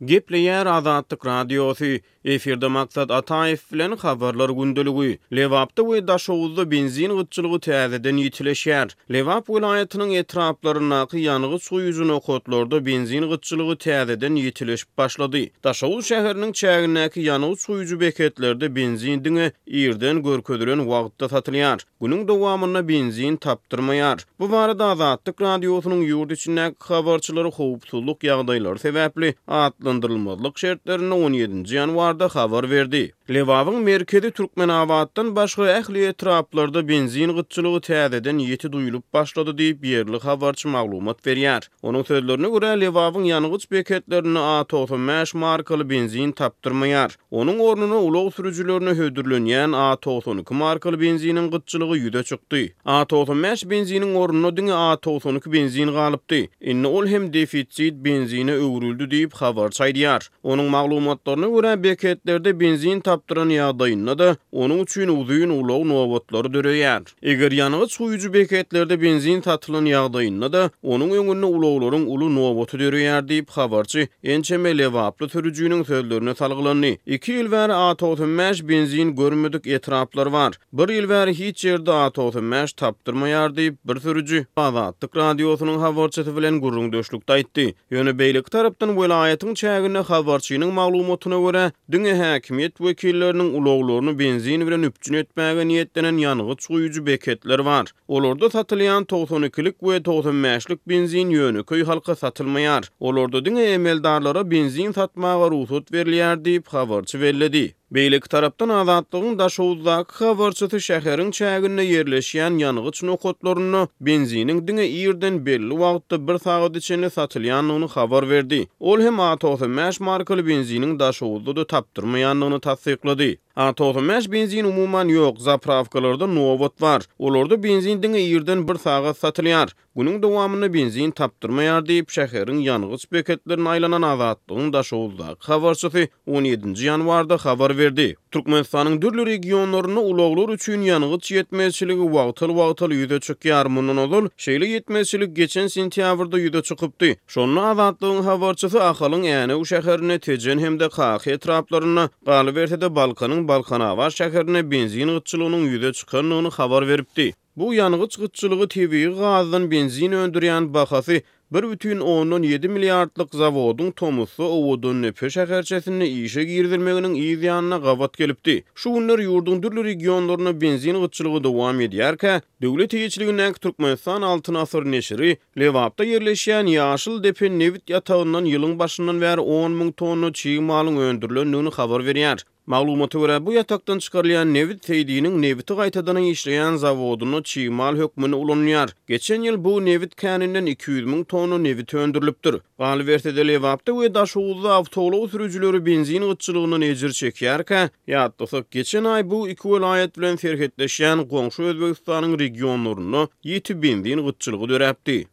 Gepleýär Azatlyk Radiosy, Efirde Maksat Ataýew bilen Habarlar gündeligi. Lebapda we Daşoguzda benzin gytçylygy täzeden ýitileşýär. Lebap welaýatynyň etraplaryndaky ýangyç guýujy nokatlarda benzin gytçylygy täzeden ýitileşip başlady. Daşoguz şäheriniň çägindäki ýangyç guýujy beketlerde benzin diňe irden görkezilen wagtda satylýar. Günüň dowamynda benzin tapdyrmaýar. Bu barada Azatlyk Radiosynyň ýurt içindäki habarçylary howpsuzlyk ýagdaýlary sebäpli atlandyrylmazlyk şertlerinde on ýedinji ýanwarda habar berdi. Lebabyň merkezi Türkmenabatdan başga ähli etraplarda benzin gytçylygy täzeden ýiti duýulyp başlady diýip, ýerli habarçy maglumat berýär. Onuň sözlerine görä, Lebabyň ýangyç beketlerinde A 95 markaly benzin tapdyrmaýar. Onuň ornuna ulag sürüjilerine hödürlenýän A 92 markaly benziniň gytçylygy ýüze çykdy. A 95 benziniň ornuna diňe A 92 benzin galypdy. Indi ol hem defisit benzine öwrüldi diýip, habarçy aýdýar. Onuň maglumatlaryna görä, beketlerde benzin tapdyran ýagdaýynda-da, onuň üçin uzyn ulag nobatlary döreýär. Eger ýangyç guýujy beketlerde benzin satylan ýagdaýynda-da, onuň öňünde ulaglaryň uly nobaty döreýär diýip, habarçy ençeme lebaply sürüjiniň sözlerine salgylandy. Iki ýyl bäri A 95 benzin görmedik etraplar bar. Bir ýyl bäri hiç ýerde A 95 tapdyrmaýar diýip, bir sürüji Azatlyk Radiosynyň habarçysy bilen gürrüňdeşlikde aýtdy. Ýöne beýleki tarapdan welaýatyň çäginde habarçynyň maglumatyna görä, diňe häkimiýet wekilleriniň ulaglaryny benzin bilen üpjün etmäge niýetlenen ýangyç guýujy beketler bar. Olarda satylýan 92-lik we 95-lik benzin ýönekeý halka satylmaýar. Olarda diňe emeldarlara benzin satmaga rugsat berilýär diýip, habarçy belledi. Beýleki tarapdan, Azatlygyň Daşoguzdaky habarçysy şäheriň çäginde ýerleşýän ýangyç nokatlarynda benziniň diňe irden belli wagtda bir sagada çenli satylýandygyny habar berdi. Ol hem A 95 markaly benziniň Daşoguzda-da tapdyrmaýandygyny tassyklady. A 95 benzin umuman ýok, zaprawkalarda nobat bar. Olarda benzin diňe irden bir sagat satylýar. Günüň dowamynda benzin tapdyrmaýar diýip, şäheriň ýangyç beketlerine aýlanan Azatlygyň Daşoguzdaky habarçysy on ýedinji ýanwarda habar berdi. Türkmenistanyň dürli regionlarynda ulaglar üçin ýangyç ýetmezçiligi wagtal-wagtal ýüze çykýar. Mundan ozal, şeýle ýetmezçilik geçen sentýabrda ýüze çykypdy. Şonda Azatlygyň habarçysy Ahalyň Änew şäherinde, Tejen hem-de Kaka etraplarynda, galyberse-de, Balkanyň Balkanabat şäherinde benzin gytçylygynyň ýüze çykandygyny habar beripdi. Bu ýangyç gytçylygy tebigy gazdan benzin öndürýän bahasy 1,7 milliardlyk zawodyň tomusda Owadandepe şäherçesinde işe girizilmeginiň yz ýanyna gabat gelipdi. Şu günler ýurduň dürli regionlarynda benzin gytçylygy dowam edýärkä, döwlet eýeçiligindäki Türkmenistan Altyn asyr neşiri Lebapda ýerleşýän Ýaşyl depe nebit ýatagyndan ýylyň başyndan bäri 10 müň tonna çig malyň öndürilendigini habar berýär. Maglumata görä, bu ýatakdan çykarylýan nebit Seýdiniň nebiti gaýtadan işleýän zawodynda çig mal hökmünde ulanylýar. Geçen ýyl bu nebit käninden 200 müň tonna nebit öndürilipdir. Galyberse-de, Lebapda we Daşoguzda awtoulag sürüjileri benzin gytçylygyndan ejir çekýärkä, ýatlasak, geçen aý bu iki welaýat bilen serhetleşýän goňşy Özbegistanyň regionlarynda ýiti benzin gytçylygy döräpdi.